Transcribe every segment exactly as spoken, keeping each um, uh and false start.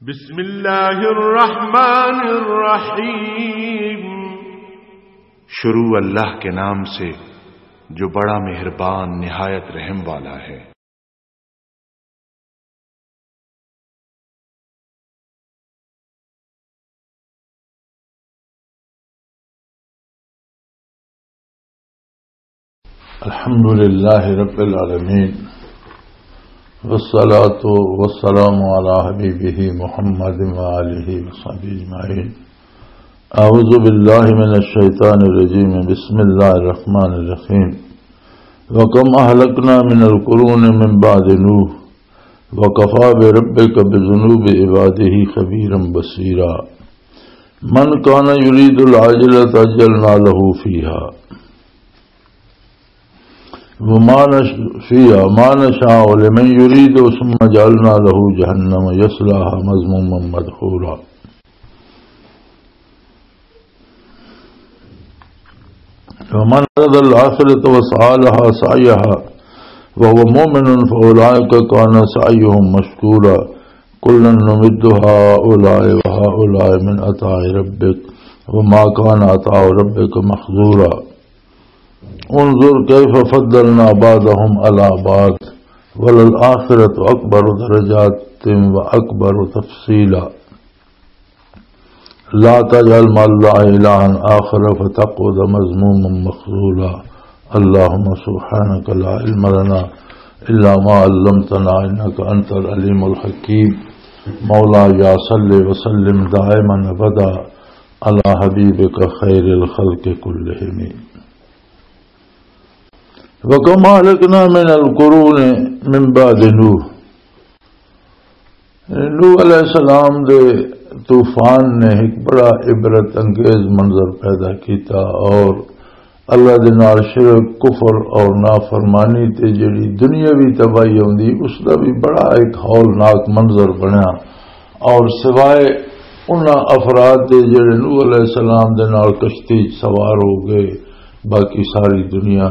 بسم اللہ الرحمن الرحیم۔ شروع اللہ کے نام سے، جو بڑا مہربان، نہایت رحم والا ہے۔ الحمد لله رب العالمين، والصلاة والسلام على حبيبه محمد وآله وصحبه أجمعين. أعوذ بالله من الشيطان الرجيم. بسم الله الرحمن الرحيم. وكم أهلكنا من القرون من بعد نوح، وكفى بربك بذنوب عباده خبيرا بصيرا. من كان يريد العاجلة عجلنا له فيها وما نش-، فيها ما نشاء لمن يريد ثم جعلنا له جهنم يصلاها مذموما مدحورا. ومن أراد الآخرة وسعى لها سعيها وهو مؤمن فأولئك كان سعيهم مشكورا. كلا نمد هؤلاء وهؤلاء من عطاء ربك وما كان عطاء ربك محظورا. انظر كيف فضلنا بعضهم على بعض وللآخرة أكبر درجات وأكبر تفصيلا. لا تجعل مع الله إلها آخر فتقعد مذموما مخذولا. اللهم سبحانك لا علم لنا إلا ما علمتنا إنك أنت العليم الحكيم. مولاي صل وسلم دائما أبدا على حبيبك خير الخلق كلهم. وكم أهلكنا من القرون من بعد نوح. نوح علیہ السلام دے طوفان نے ایک بڑا عبرت انگیز منظر پیدا کیتا، اور اللہ دے نال شرک، کفر اور نافرمانی تے جڑی دنیاوی تباہی ہوندی، اس دا بھی بڑا ایک ہولناک منظر بنیا۔ اور سوائے انہاں افراد دے جڑے نوح علیہ السلام دے نال کشتی سوار ہو گئے، باقی ساری دنیا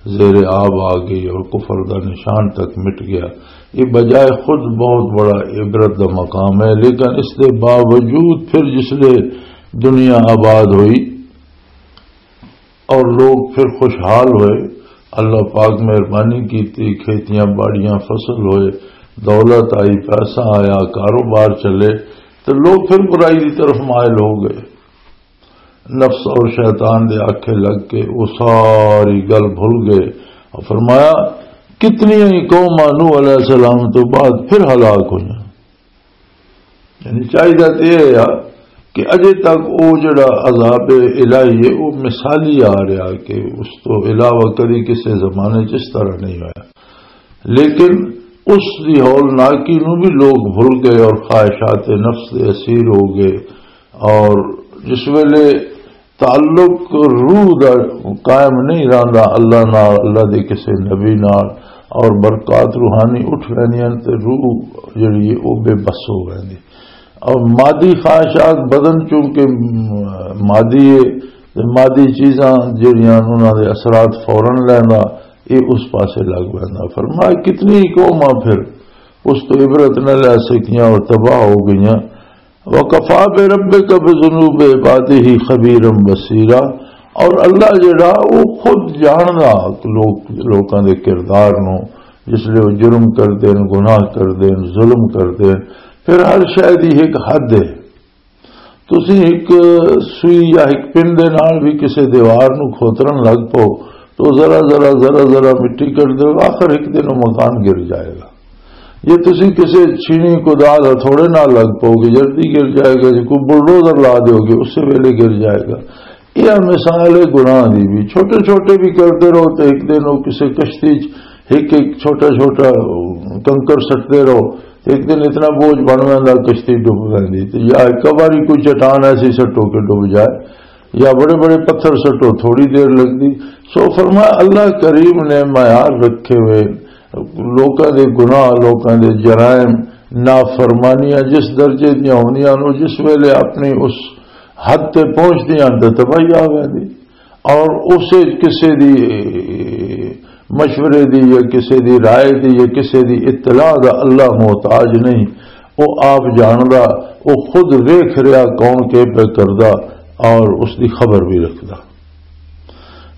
زیر آب آ گئی اور کفر دا نشان تک مٹ گیا۔ یہ بجائے خود بہت بڑا عبرت دا مقام ہے، لیکن اس دے باوجود پھر جس لے دنیا آباد ہوئی اور لوگ پھر خوشحال ہوئے، اللہ پاک مہربانی کیتی، کھیتیاں باڑیاں فصل ہوئے، دولت آئی، پیسہ آیا، کاروبار چلے، تو لوگ پھر برائی دی طرف مائل ہو گئے۔ نفس اور شیطان دے آکھے لگ کے وہ ساری گل بھول گئے۔ اور فرمایا، کتنی ہی قوماں نوح علیہ السلام تو بعد پھر ہلاک ہوئیاں۔ یعنی چاہیے تو یہ ہے کہ اجے تک وہ جڑا عذاب الہی ہے، وہ مثالی آ رہا کہ اس تو علاوہ کدی کسی زمانے چ اس طرح نہیں ہویا۔ لیکن اس دی ہولناکی نو بھی لوگ بھول گئے اور خواہشات نفس دے اسیر ہو گئے۔ اور جس ویلے تعلق روح دا قائم نہیں رہندا اللہ نال، اللہ دے کسے نبی نال، اور برکات روحانی اٹھ ویندیاں تے روح جڑی ہے، او بے بس ہو ویندی۔ اور مادی خواہشات، بدن چونکہ مادی ہے، تے مادی چیزاں جڑیاں انہاں دے اثرات فوراً لیندا، یہ اس پاسے لگ ویندا۔ فرمایا، کتنی قوماں پھر اس تو عبرت نہ لے سکیاں اور تباہ ہو گئیاں۔ وَكَفَىٰ بِرَبِّكَ بِذُنُوبِ عِبَادِهِ خَبِيرًا بَصِيرًا، اور اللہ جڑا، وہ خود جاندا لوک-، لوکاں دے کردار نو، جس لے وہ جرم کردے نے، گناہ کردے نے، ظلم کردے نے، پھر ہر شے دی ایک حد ہے۔ تسی ایک سوئی یا ایک پن دے نال بھی کسے دیوار نو کھوترن لگ پو، تو ذرا ذرا، ذرا ذرا مٹی کر دے، آخر ایک دن وہ مکان گر جائے گا۔ یہ تسی کسے چھینی کدال ہتھوڑے نال لگ پو گے، جلدی گر جائے گا۔ جے کوئی بلڈوزر لا دیو گے، اسی ویلے گر جائے گا۔ یہ مثال ہے گناہ دی بھی۔ چھوٹے چھوٹے بھی کرتے رہو تو ایک دن وہ کسے کشتی چ ایک ایک چھوٹا چھوٹا کنکر سٹتے رہو، تو ایک دن اتنا بوجھ بن ویندا، کشتی ڈب ویندی۔ تو یا ایک باری کوئی چٹان ایسی سٹو کہ ڈب جائے، یا بڑے بڑے پتھر سٹو، تھوڑی دیر لگدی۔ سو فرمایا، اللہ کریم نے معیار رکھے ہوئے، لوکاں دے گناہ، لوکاں دے جرائم، نافرمانیاں جس درجے دیاں ہوندیاں نو، جس ویلے اپنی اس حد تے پہنچدیاں تے تباہی آ ویندی۔ اور اسے کسے دی مشورے دی یا کسے دی رائے دی یا کسے دی اطلاع دا اللہ محتاج نہیں۔ وہ آپ جاندا، وہ خود ویکھ رہا کون کے پہ کردا، اور اس دی خبر بھی رکھدا۔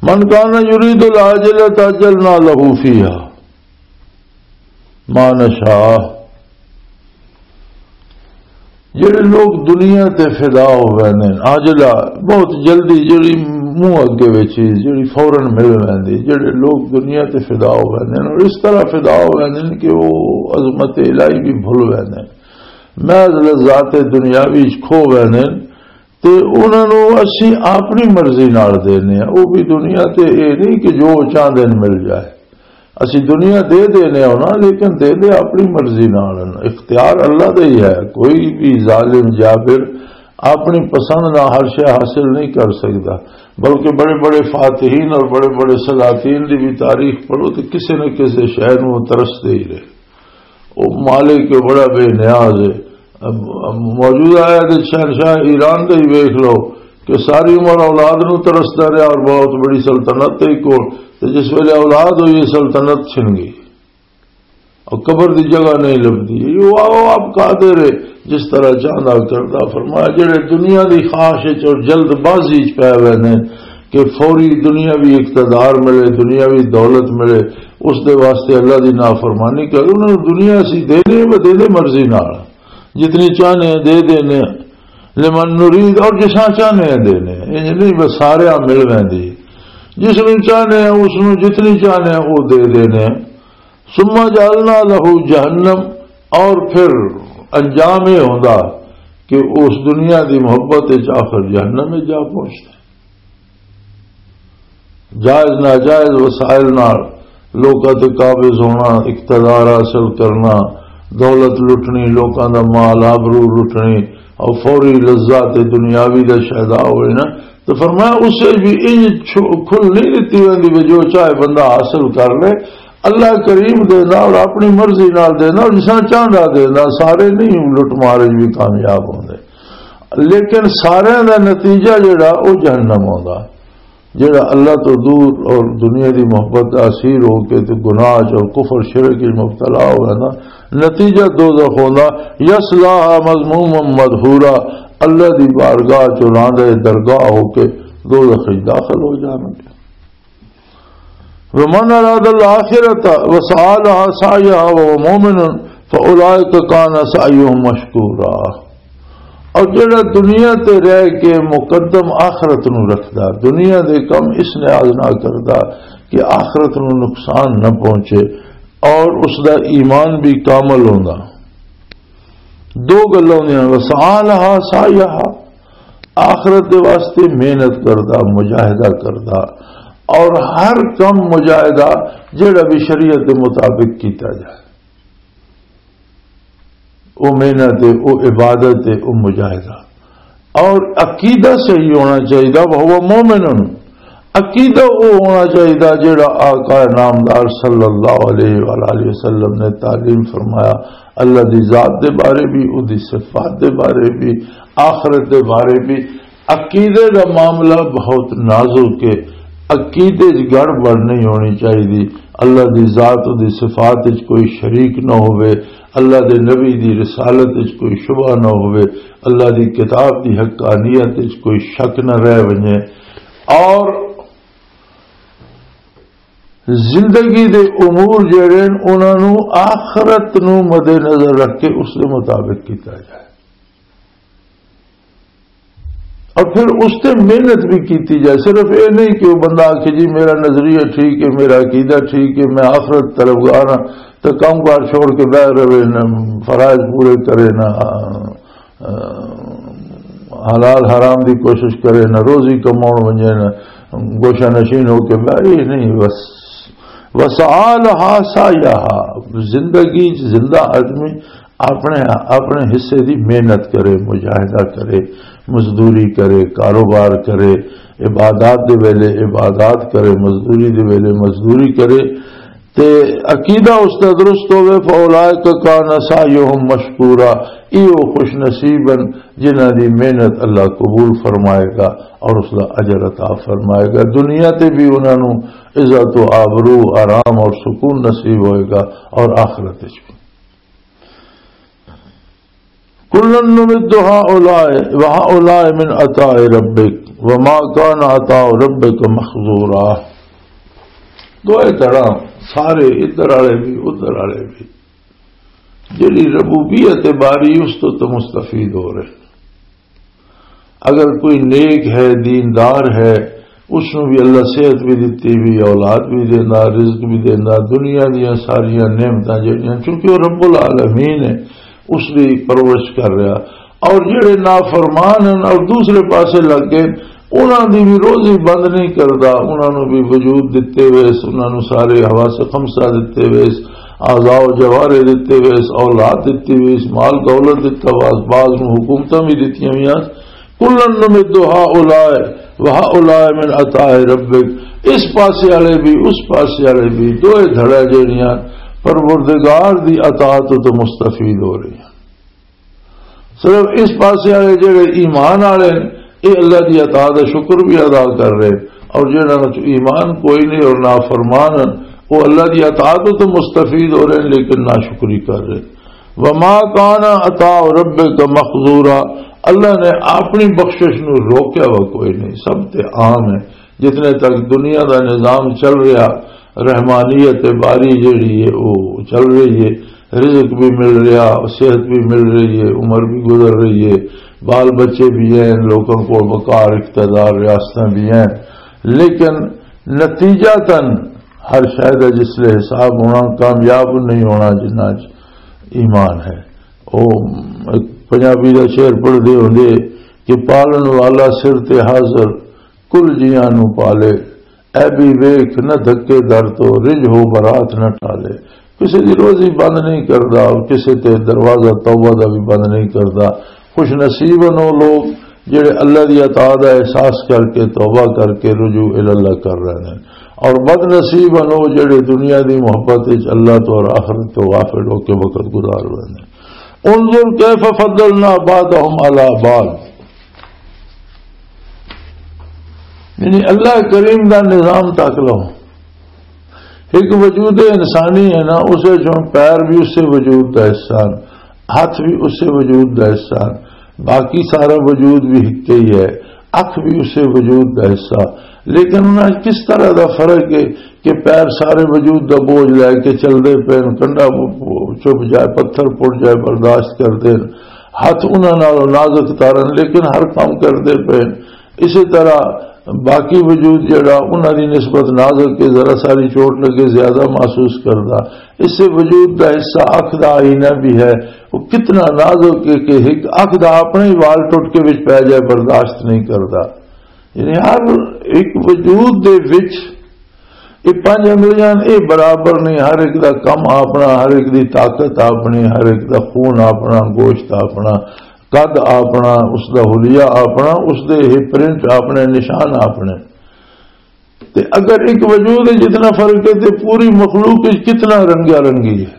من کان یرید العاجلۃ عجلنا لہ فیہا ما نشاء۔ جڑے لوگ دنیا تے فدا ہو ویندے نے، عاجلہ، بہت جلدی، جڑی منہ اگے وچ چیز جڑی فوراً مل ویندی، جڑے لوگ دنیا تے فدا ہو ویندے نے اور اس طرح فدا ہو ویندے نے کہ وہ عظمت الہی بھی بھل ویندے نے، محض لذات دنیاوی وچ کھو ویندے نے، تے انہاں نوں اسی اپنی مرضی نال دینے آں۔ او بھی دنیا تے اے نہیں کہ جو چاہندے نے مل جائے۔ اسی دنیا دے دینے آں انہاں، لیکن دے دے اپنی مرضی نال ہن۔ اختیار اللہ دا ہی ہے، کوئی بھی ظالم جابر اپنی پسند نال ہر شے حاصل نہیں کر سکدا، بلکہ بڑے بڑے فاتحین اور بڑے بڑے سلاطین دی بھی تاریخ پڑھو تو کسے نہ کسے شے نوں وہ ترسدے ہی رہے۔ وہ مالک بڑا بے نیاز ہے۔ اب، اب موجودہ آیا تو شہنشاہ ایران کا ہی ویکھ لو کہ ساری عمر اولاد نو ترسدا رہا اور بہت بڑی سلطنت تھی کول، تو جس ویلے اولاد ہوئی، سلطنت چھن گئی اور قبر دی جگہ نہیں لبدی۔ یہ وہ آؤ آپ قادر ہے، جس طرح چاہتا کرتا۔ فرمایا، جڑے دنیا دی خواہش وچ اور جلد بازی وچ پے ہوئے نے کہ فوری دنیاوی اقتدار ملے، دنیاوی دولت ملے، اس دے واسطے اللہ دی نافرمانی کرے، انہاں نوں دنیا اسی دینے، وہ دینے مرضی نال، جتنی چاہنے ہیں دے دینے، لمن نرید، اور جساں چاہنے ہیں دینے، انج نہیں بس سارے مل ویندی، جس نوں چاہنے ہیں اس نوں جتنی چاہنے ہیں وہ دے دینے۔ ثم جعلنا لہ جہنم، اور پھر انجام یہ ہوندا کہ اس دنیا دی محبت وچ آخر جہنم وچ جا پہنچدا۔ جائز ناجائز وسائل نال لوکاں تے قابض ہونا، اقتدار حاصل کرنا، دولت لٹنی، لوکاں دا مال آبرو لٹنی، اور فوری لذات دنیاوی دا شیدا ہوئے نا، تو فرمایا، اس وچ بھی انج چھو-، کھل نہیں دتی ویندی بھی جو چاہے بندہ حاصل کر لے۔ اللہ کریم دیندا اور اپنی مرضی نال دیندا اور جس طرح چاہندا دیندا، سارے نہیں لٹ مار وچ بھی کامیاب ہوندے۔ لیکن سارے دا نتیجہ جڑا، او جہنم ہوندا۔ جڑا اللہ تو دور اور دنیا دی محبت دا اسیر ہو کے تے گناہ چ اور کفر شرک وچ مبتلا ہوئے نا، نتیجہ دوزخ ہوندا۔ یصلاها مذموما مدحورا، اللہ دی بارگاہ چ راندے درگاہ ہو کے دوزخ وچ داخل ہو جانگے۔ ومن اراد الاخرۃ وسعی لها سعیها وهو مؤمن فاولئک کان سعیهم مشکورا۔ اور جڑا دنیا تے رہ کے مقدم آخرت نو رکھدا، دنیا دے کم اس نیاز نہ کردا کہ آخرت نو نقصان نہ پہنچے، اور اس دا ایمان بھی کامل ہوندا۔ دو گلاں ہوندیاں، وسعی لها سعیها، آخرت دے واسطے محنت کردا، مجاہدہ کردا، اور ہر کم مجاہدہ جڑا بھی شریعت دے مطابق کیتا جائے، او محنت ہے، او عبادت ہے، او مجاہدہ۔ اور عقیدہ صحیح ہونا چاہیے، وہ مومن۔ عقیدہ وہ ہونا چاہیے جڑا آقا نامدار صلی اللہ علیہ وآلہ وسلم نے تعلیم فرمایا، اللہ دی ذات دے بارے بھی، او دی صفات دے بارے بھی، آخرت دے بارے بھی۔ عقیدے دا معاملہ بہت نازک ہے۔ عقیدے 'چ گڑبڑ نہیں ہونی چاہیے۔ اللہ دی ذات، دی صفات وچ کوئی شریک نہ ہوئے، اللہ دے نبی دی رسالت وچ کوئی شبہ نہ ہوئے، اللہ دی کتاب دی حقانیت وچ کوئی شک نہ رہ ونجے، اور زندگی دے امور جڑے نے، انہاں نوں آخرت نوں مد نظر رکھ کے اس دے مطابق کیتا جائے۔ اور پھر اس تے محنت بھی کیتی جائے۔ صرف یہ نہیں کہ وہ بندہ آکھے، "جی، میرا نظریہ ٹھیک ہے، میرا عقیدہ ٹھیک ہے، میں آخرت طلبگار ہاں"، تو کام کار چھوڑ کے بہ رہے، نہ فرائض پورے کرے، نہ، آ، حلال حرام دی کوشش کرے، نہ روزی کماؤن ونجے، نہ گوشہ نشین ہو کے بہ، یہ نہیں۔ بس، وسعی لها سعیها، زندگی چ زندہ آدمی اپنے، اپنے حصے دی محنت کرے، مجاہدہ کرے، مزدوری کرے، کاروبار کرے، عبادات دے ویلے عبادات کرے، مزدوری دے ویلے مزدوری کرے۔ تے عقیدہ اس دا درست ہوئے، فَأُولَٰئِكَ كَانَ سَعْيُهُمْ مَشْكُورًا، ایہو خوش نصیب ہن جنہاں دی محنت اللہ قبول فرمائے گا اور اس دا اجر عطا فرمائے گا۔ دنیا تے بھی انہاں نوں عزت و آبرو، آرام اور سکون نصیب ہوئے گا اور آخرت وچ بھی۔ کلن نمد ہؤلاء و ہؤلاء من عطاء ربک وما کان عطاء ربک مخذورا۔ دوئے طرح، سارے ادھر والے بھی، ادھر والے بھی، جڑی ربوبیت باری، اس تو تو مستفید ہو رہے۔ اگر کوئی نیک ہے، دیندار ہے، اس نوں بھی اللہ صحت بھی دتی، بھی اولاد بھی دیندا، رزق بھی دیندا، دنیا دیاں ساریاں نعمتاں جڑیاں، چونکہ وہ رب العالمین ہے، اس دی پرورش کر رہا۔ اور جڑے نافرمان ہیں اور دوسرے پاسے لگ گئے، انہاں دی بھی روزی بند نہیں کردا، انہاں نوں بھی وجود دتے ہوئے اس، انہاں نوں سارے حواس خمسہ دتے ہوئے اس، اعضاء و جوارے دتے ہوئے اس، اولاد دتی ہوئی اس، مال دولت دتا ہوا اس، بعض نوں حکومتاں بھی دتیاں ہوئیاں۔ کلن نمد ہؤلاء و ہؤلاء من عطاء ربک، اس پاسے والے بھی، اس پاسے والے بھی، دوئے دھڑے جڑیاں پروردگار دی عطا تو، تو مستفید ہو رہی ہیں۔ صرف اس پاسے والے جڑے ایمان والے ہیں، یہ اللہ دی عطا دا شکر بھی ادا کر رہے، اور جنہاں وچ ایمان کوئی نہیں اور نافرمان ہیں، وہ اللہ دی عطا تو، تو مستفید ہو رہے ہیں، لیکن ناشکری کر رہے۔ وما کان عطاء ربک مخذورا، اللہ نے اپنی بخشش نو روکیا ہوا کوئی نہیں، سب تے عام ہے۔ جتنے تک دنیا دا نظام چل رہا، رحمانیت باری جڑی ہے، وہ چل رہی ہے، رزق بھی مل رہا، صحت بھی مل رہی ہے، عمر بھی گزر رہی ہے، بال بچے بھی ہیں، لوگوں کو وقار، اقتدار، ریاستیں بھی ہیں، لیکن نتیجہ تن ہر شے دا جس لے حساب ہونا، کامیاب نہیں ہونا جنہاں چ ایمان ہے۔ او ایک پنجابی دا شعر پڑھدے ہوندے کہ پالن والا سر تے حاضر، کل جیاں نوں پالے، اے بھی ویکھ نہ دھکے در تو، رج ہو برات نہ ٹالے۔ کسے دی روزی بند نہیں کردا، کسے تے دروازہ توبہ دا بھی بند نہیں کردا۔ خوش نصیب ہن او لوگ جڑے اللہ دی عطا دا احساس کر کے، توبہ کر کے رجوع الی اللہ کر رہے ہیں، اور بد نصیب ہن او جڑے دنیا دی محبت وچ اللہ تو اور آخرت تو غافل ہو کے وقت گزار رہے ہیں۔ انظر کیف فضلنا بعضهم علی بعض، یعنی اللہ کریم دا نظام تک لو۔ ایک وجود انسانی ہے نا، اسے جو پیر بھی اسے وجود دا حصہ ہیں، ہاتھ بھی اسے وجود دا حصہ ہیں، باقی سارا وجود بھی ایک ہی ہے، اکھ بھی اسے وجود دا حصہ۔ لیکن انہاں کس طرح دا فرق ہے کہ پیر سارے وجود دا بوجھ لے کے چل دے پے، کنڈا چپ جائے، پتھر پڑ جائے، برداشت کر دے، ہاتھ انہاں نال نازک تارن، لیکن ہر کام کر دے پے۔ اسی طرح باقی وجود جڑا انہاں دی نسبت نازک کے، ذرا ساری چوٹ لگے زیادہ محسوس کردا۔ اس سے وجود دا حصہ اکھ دا آئینہ بھی ہے، وہ کتنا نازک ہے کہ ایک اکھ دا اپنا ہی وال ٹوٹ کے وچ پی جائے، برداشت نہیں کردا۔ یعنی ہر ایک وجود دے وچ یہ پنج انگلیاں، یہ برابر نہیں، ہر ایک دا کم اپنا، ہر ایک دی طاقت اپنی، ہر ایک دا خون اپنا، گوشت اپنا، قد اپنا، اس دا حلیہ اپنا، اس دے یہ پرنٹ اپنے، نشان اپنے۔ تے اگر ایک وجود ہے جتنا فرق ہے، تے پوری مخلوق وچ کتنا رنگا رنگی ہے۔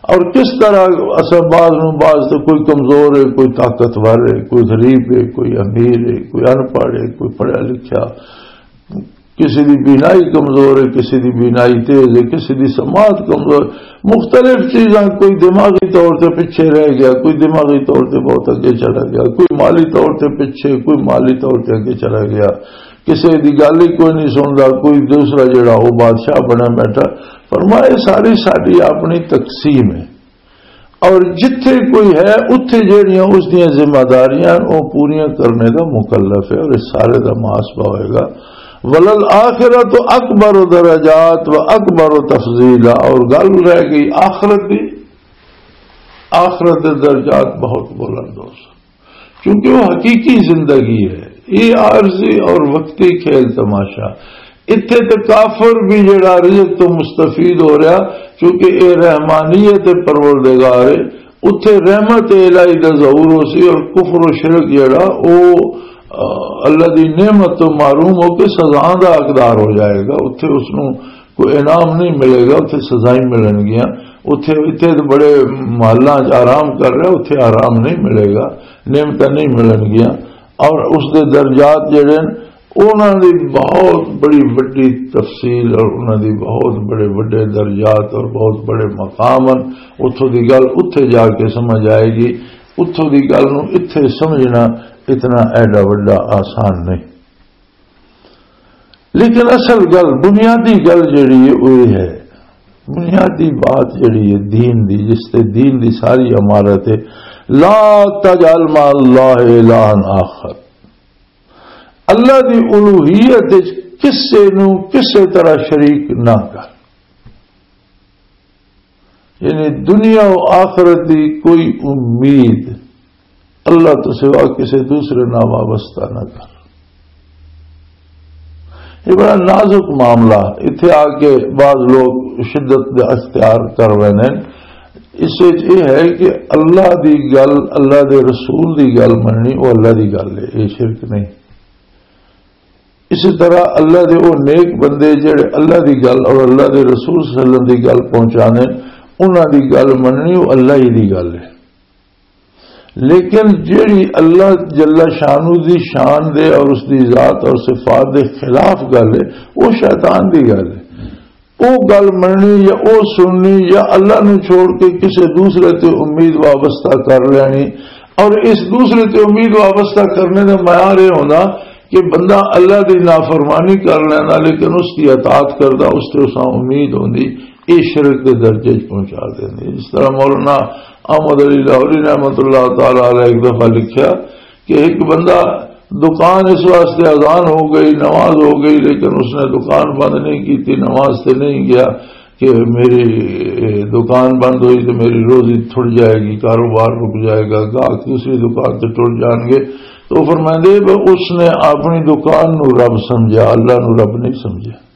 اور کس طرح اساں بعض نوں بعض تے کوئی کمزور ہے، کوئی طاقتور ہے، کوئی غریب ہے، کوئی امیر ہے، کوئی ان پڑھ ہے، کوئی پڑھیا لکھیا، کسی دی بینائی کمزور ہے، کسی دی بینائی تیز ہے، کسی دی سماعت کمزور، مختلف چیزاں، کوئی دماغی طور تے پیچھے رہ گیا، کوئی دماغی طور تے بہت اگے چلا گیا، کوئی مالی طور تے پیچھے، کوئی مالی طور تے اگے چلا گیا، کسی دی گل ہی کوئی نہیں سندا، کوئی دوسرا جڑا وہ بادشاہ بنا بیٹھا۔ فرمایا، یہ ساری ساری اپنی تقسیم ہے، اور جتھے کوئی ہے، اتھے جڑیاں اس دیاں ذمہ داریاں، وہ پوریاں کرنے دا مکلف ہے، اور اس سارے دا محاسبہ ہوئے گا۔ وللآخرۃ اکبر درجات و اکبر تفضیلا، اور گل رہ گئی آخرت دی۔ آخرت دے درجات بہت بلند ہو سن، کیونکہ وہ حقیقی زندگی ہے، یہ عارضی اور وقتی کھیل تماشا۔ اتھے تے کافر بھی جڑا رزق تو مستفید ہو رہا، کیونکہ اے رحمانیت پروردگار ہے۔ اتھے رحمت الہی دا ظہور ہو سی، اور کفر و شرک جڑا، او، آ، اللہ دی نعمت تو محروم ہو کے سزا دا حقدار ہو جائے گا۔ اتھے اس نوں کوئی انعام نہیں ملے گا، اتھے سزائیں ملن گیاں۔ اتھے، اتھے تے بڑے محلاں چ آرام کر رہا، اتھے آرام نہیں ملے گا، نعمتاں نہیں ملن گیاں۔ اور اس دے درجات جڑے ہیں، انہاں دی بہت بڑی وڈی تفصیل اور انہاں دی بہت بڑے وڈے درجات اور بہت بڑے مقام ہیں۔ اتھوں دی گل اتھے جا کے سمجھ آئے گی۔ اتھوں دی گل نوں اتھے سمجھنا اتنا ایڈا وڈا آسان نہیں۔ لیکن اصل گل، بنیادی گل جڑی ہے، وہ یہ ہے، بنیادی بات جڑی ہے دین دی، جس تے دین دی ساری عمارت ہے، لا تجعل مع اللہ الہا آخر۔ اللہ دی الوہیت وچ کسے نوں کسے طرح شریک نہ کر۔ یعنی دنیا و آخرت دی کوئی امید اللہ تو سوا کسی دوسرے نال وابستہ نہ کر۔ یہ بڑا نازک معاملہ۔ اتھے آ کے بعض لوگ شدت دا اختیار کر رہے ہیں۔ اس وچ یہ ہے کہ اللہ دی گل، اللہ دے رسول دی گل مننی، وہ اللہ دی گل ہے، یہ شرک نہیں۔ اسی طرح اللہ دے او نیک بندے جڑے اللہ دی گل اور اللہ دے رسول صلی اللہ علیہ وسلم دی گل پہنچانے، انہاں دی گل مننی، او اللہ ہی دی گل ہے۔ لیکن جڑی اللہ جل شانہ دی شان دے اور اس دی ذات اور صفات دے خلاف گل ہے، وہ شیطان دی گل ہے۔ او گل مننی یا او سننی یا اللہ نوں چھوڑ کے کسے دوسرے تے امید وابستہ کر لینی، اور اس دوسرے تے امید وابستہ کرنے دا معیار یہ ہونا کہ بندہ اللہ دی نافرمانی کر لینا، لیکن اس کی اطاعت کردا، اس تے اساں امید ہوندی، یہ شرک دے درجے چ پہنچا دیندی۔ جس طرح مولانا احمد علی لاہوری رحمۃ اللہ تعالی علیہ ایک دفعہ لکھیا کہ ایک بندہ، دکان اس واسطے، اذان ہو گئی، نماز ہو گئی، لیکن اس نے دکان بند نہیں کی تھی، نماز سے نہیں گیا کہ میری دکان بند ہوئی تو میری روزی تھڑ جائے گی، کاروبار رک جائے گا، گاہک دوسری دکان سے ٹر جان گے۔ تو فرمائندے، "وہ اس نے اپنی دکان نو رب سمجھا، اللہ نو رب نہیں سمجھا۔"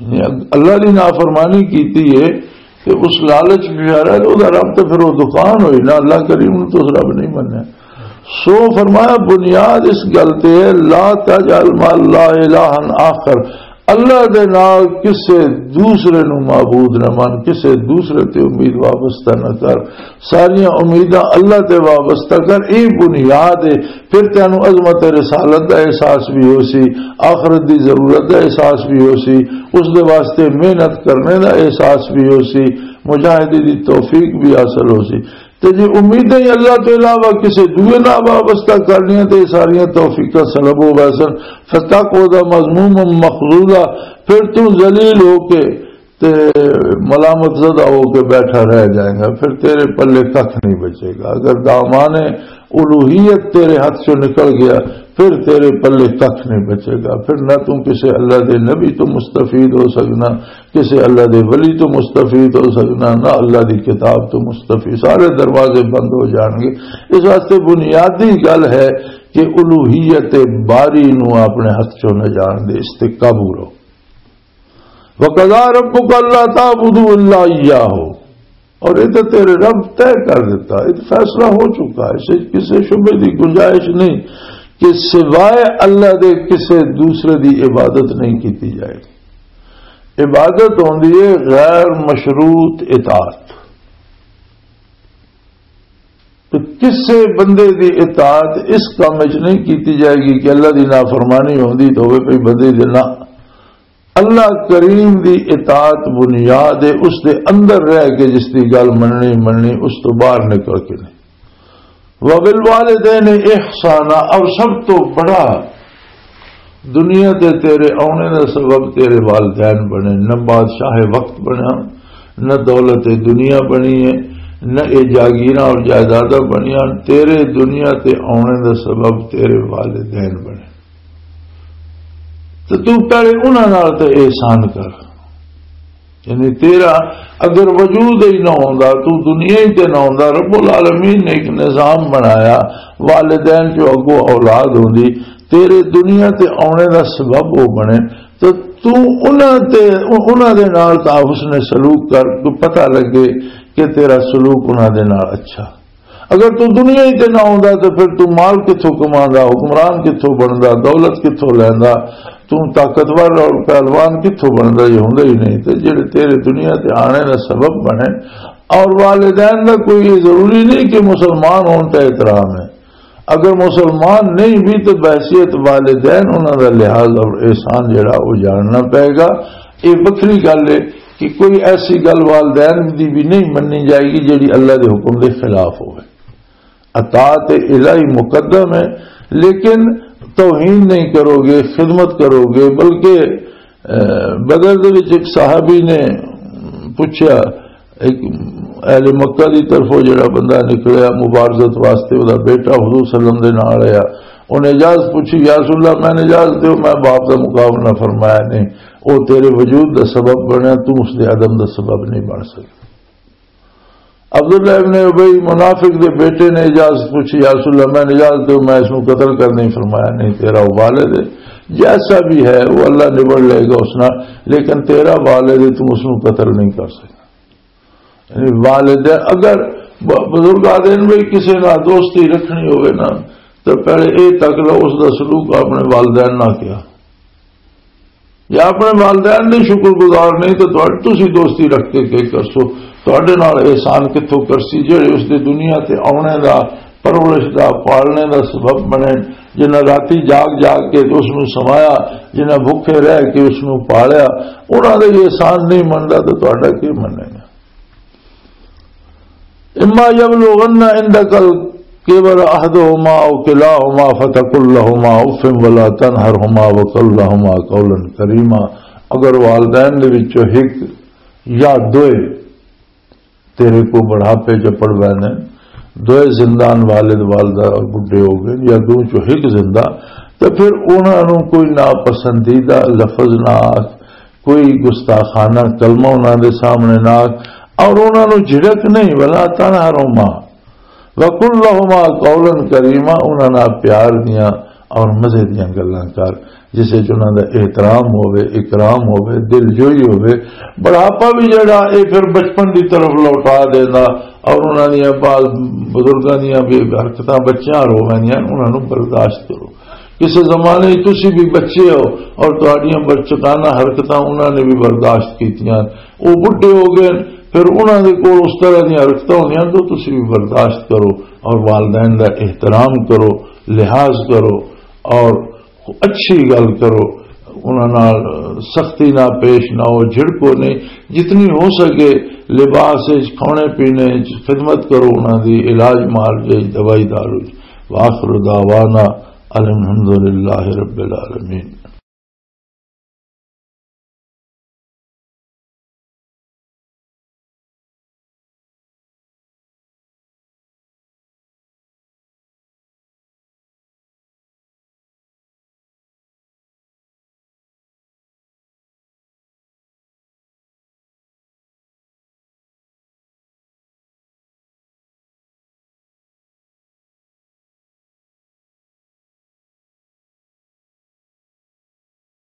یعنی اللہ دی نافرمانی کیتی ہے تے اس لالچ وچ آ رہا ہے، تے اوہدا رب تے پھر او دکان ہوئی نا، اللہ کریم نوں تے اس رب نہیں منیا۔ سو فرمایا، بنیاد اس گل تے ہے، "لا تجعل مع اللہ الہا آخر"، اللہ دے نال کسے دوسرے نوں معبود نہ من، کسے دوسرے تے امید وابستہ نہ کر، ساریاں امیداں اللہ تے وابستہ کر۔ اے بنیاد ہے۔ پھر تینوں عظمت رسالت دا احساس بھی ہو سی، آخرت دی ضرورت دا احساس بھی ہو سی، اس دے واسطے محنت کرنے دا احساس بھی ہو سی، مجاہدے دی توفیق بھی حاصل ہو سی۔ تے جے امیدیں ہی اللہ تو علاوہ کسے دوئے نال وابستہ کر لیاں تے یہ ساریاں توفیقاں سلب ہو ویسن، فتقعد مذموما مخذولا، پھر تو ذلیل ہو کے تے ملامت زدہ ہو کے بیٹھا رہ جائے گا، پھر تیرے پلے ککھ نہیں بچے گا۔ اگر دامان الوہیت تیرے ہاتھ سے نکل گیا، پھر تیرے پلے ککھ نہیں بچے گا۔ پھر نہ تم کسی اللہ دے نبی تو مستفید ہو سکنا، کسی اللہ دے ولی تو مستفید ہو سکنا، نہ اللہ دی کتاب تو مستفید۔ سارے دروازے بند ہو جان گے۔ اس واسطے بنیادی گل ہے کہ الوہیت باری نو اپنے ہاتھ چوں نہ جان دے، اس تے قابو رہو۔ وَقَضَىٰ رَبُّكَ أَلَّا تَعْبُدُوا إِلَّا إِيَّاهُ، اور یہ تو تیرے رب طے کر دیتا، یہ تو فیصلہ ہو چکا ہے، اس وچ کسی شبے دی گنجائش نہیں کہ سوائے اللہ دے کسی دوسرے دی عبادت نہیں کیتی جائے۔ عبادت ہوندی ہے غیر مشروط اطاعت۔ تو کسے بندے دی اطاعت اس کام وچ نہیں کیتی جائے گی کہ اللہ دی نافرمانی ہوندی تو ہوئے پئی بندے دی نہ۔ اللہ کریم دی اطاعت بنیاد ہے، اس دے اندر رہ کے جس دی گل مننی مننی، اس تو باہر نکل کے نہیں۔ وَبِالْوَالِدَيْنِ إِحْسَانًا، اور سب تو بڑا دنیا تے تیرے آنے دا سبب تیرے والدین بنے، نہ بادشاہ وقت بنا، نہ دولت دنیا بنی ہے، نہ اے جاگیراں اور جائیداداں بنیاں، تیرے دنیا تے آنے دا سبب تیرے والدین بنے۔ تو تو پہلے انہاں نال تے احسان کر۔ یعنی تیرا اگر وجود ہی نہ ہوندا، تو دنیا ہی تے نہ ہوندا، رب العالمین نے ایک نظام بنایا، والدین جو اگوں اولاد ہوندی، تیرے دنیا تے آنے دا سبب وہ بنے، تو تو انہاں تے، انہاں دے نال تا حسن سلوک کر، تو پتہ لگے کہ تیرا سلوک انہاں دے نال اچھا۔ اگر تو دنیا ہی تے نہ ہوندا تو پھر تو مال کتھوں کماندا، حکمران کتھوں بندا، دولت کتھوں لیندا، تو طاقتور اور پہلوان کتھوں بندا، یہ ہوندا ہی نہیں۔ تے جڑے تیرے دنیا تے آنے دا سبب بنے، اور والدین دا کوئی یہ ضروری نہیں کہ مسلمان ہون تے احترام ہے۔ اگر مسلمان نہیں بھی تو بحیثیت والدین انہاں دا لحاظ اور احسان جڑا وہ جاننا پائے گا۔ یہ وکھری گل ہے کہ کوئی ایسی گل والدین دی بھی نہیں مننی جائے گی جڑی اللہ دے حکم دے خلاف ہوئے۔ اطاعت الہی مقدم ہے، لیکن توہین نہیں کرو گے، خدمت کرو گے، بلکہ، اے، بدر دے وچ ایک صحابی نے پوچھا، ایک اہل مکہ دی طرفوں جڑا بندہ نکلیا مبارزت واسطے، او دا بیٹا حضور صلی اللہ علیہ وسلم دے نال آیا، انہیں اجازت پوچھی، "یا رسول اللہ، میں اجازت دیو، میں باپ دا مقابلہ فرمایا نہیں، او تیرے وجود دا سبب بنیا، تو اس دے عدم دا سبب نہیں بن سکتا۔" عبداللہ ابن ابی منافق دے بیٹے نے اجازت پوچھی، "یا رسول اللہ، میں اجازت دیو، میں اس نو قتل کرنے ہی فرمایا نہیں، تیرا والد ہے، جیسا بھی ہے وہ اللہ نبڑ لے گا اس نال، لیکن تیرا والد ہے، تم اس نو قتل نہیں کر سکتا۔" یعنی والد ہے، اگر ب-، بزرگ آدھے نے بھی کسی نال دوستی رکھنی ہوئے نا، تو پہلے اے تک لو اس دا سلوک اپنے والدین نال کیا۔ یا اپنے والدین دے شکر گزار نہیں تو تہاڈے، تسی دوستی رکھ کے کی کرسو؟ تہاڈے نال احسان کتھوں کرسی جڑے اس دے دنیا تے آنے دا، پرورش دا، پالنے دا سبب بنے، جنہاں راتی جاگ جاگ کے اس نوں سمایا، جنہاں بھوکے رہ کے اس نوں پالیا، انہاں دا ہی احسان نہیں مندا تو تہاڈا کی مننے گا؟ اما یبلغن عندک الکبر احدہما او کلاہما فتقل لہما اف ولا تنہرہما وقل لہما قولا کریما۔ اگر والدین دے وچوں ایک یا دوئے تیرے کو بڑھاپے چ پڑ بینے، دوئے زندان، والد والدہ بڈھے ہو گئے یا دو چوں ایک زندہ، تو پھر انہاں نوں کوئی ناپسندیدہ لفظ نہ آکھ، کوئی گستاخانہ کلمہ انہاں دے سامنے نہ آکھ، اور انہاں نوں جھڑک نہیں، ولا تنہرہما، وقل لہما قولا کریما، انہاں نال پیار دیاں اور مزے دیاں گلاں کر، جس وچ انہاں دا احترام ہوے، اکرام ہوے، دل جوئی ہوے۔ بڑھاپا بھی جڑا، اے پھر بچپن دی طرف لوٹا دیندا، اور انہاں دیاں بعض بزرگاں دیاں بھی حرکتاں بچیاں رو ویندیاں، انہاں نوں برداشت کرو۔ کسے زمانے وچ تسی بھی بچے ہو اور تہاڈیاں بچکانہ حرکتاں انہاں نے بھی برداشت کیتیاں، وہ بڈھے ہو گئے، پھر انہاں دے کول اس طرح دیاں حرکتاں ہوندیاں تو تسی بھی برداشت کرو اور والدین دا احترام کرو، لحاظ کرو اور اچھی گل کرو، انہاں نال سختی نہ پیش نہ ہو، جھڑکو نہیں، جتنی ہو سکے لباس وچ، کھانے پینے وچ خدمت کرو، انہاں دی علاج معالجے وچ، دوائی دارو وچ۔ وآخر دعوانا الحمدللہ رب العالمین۔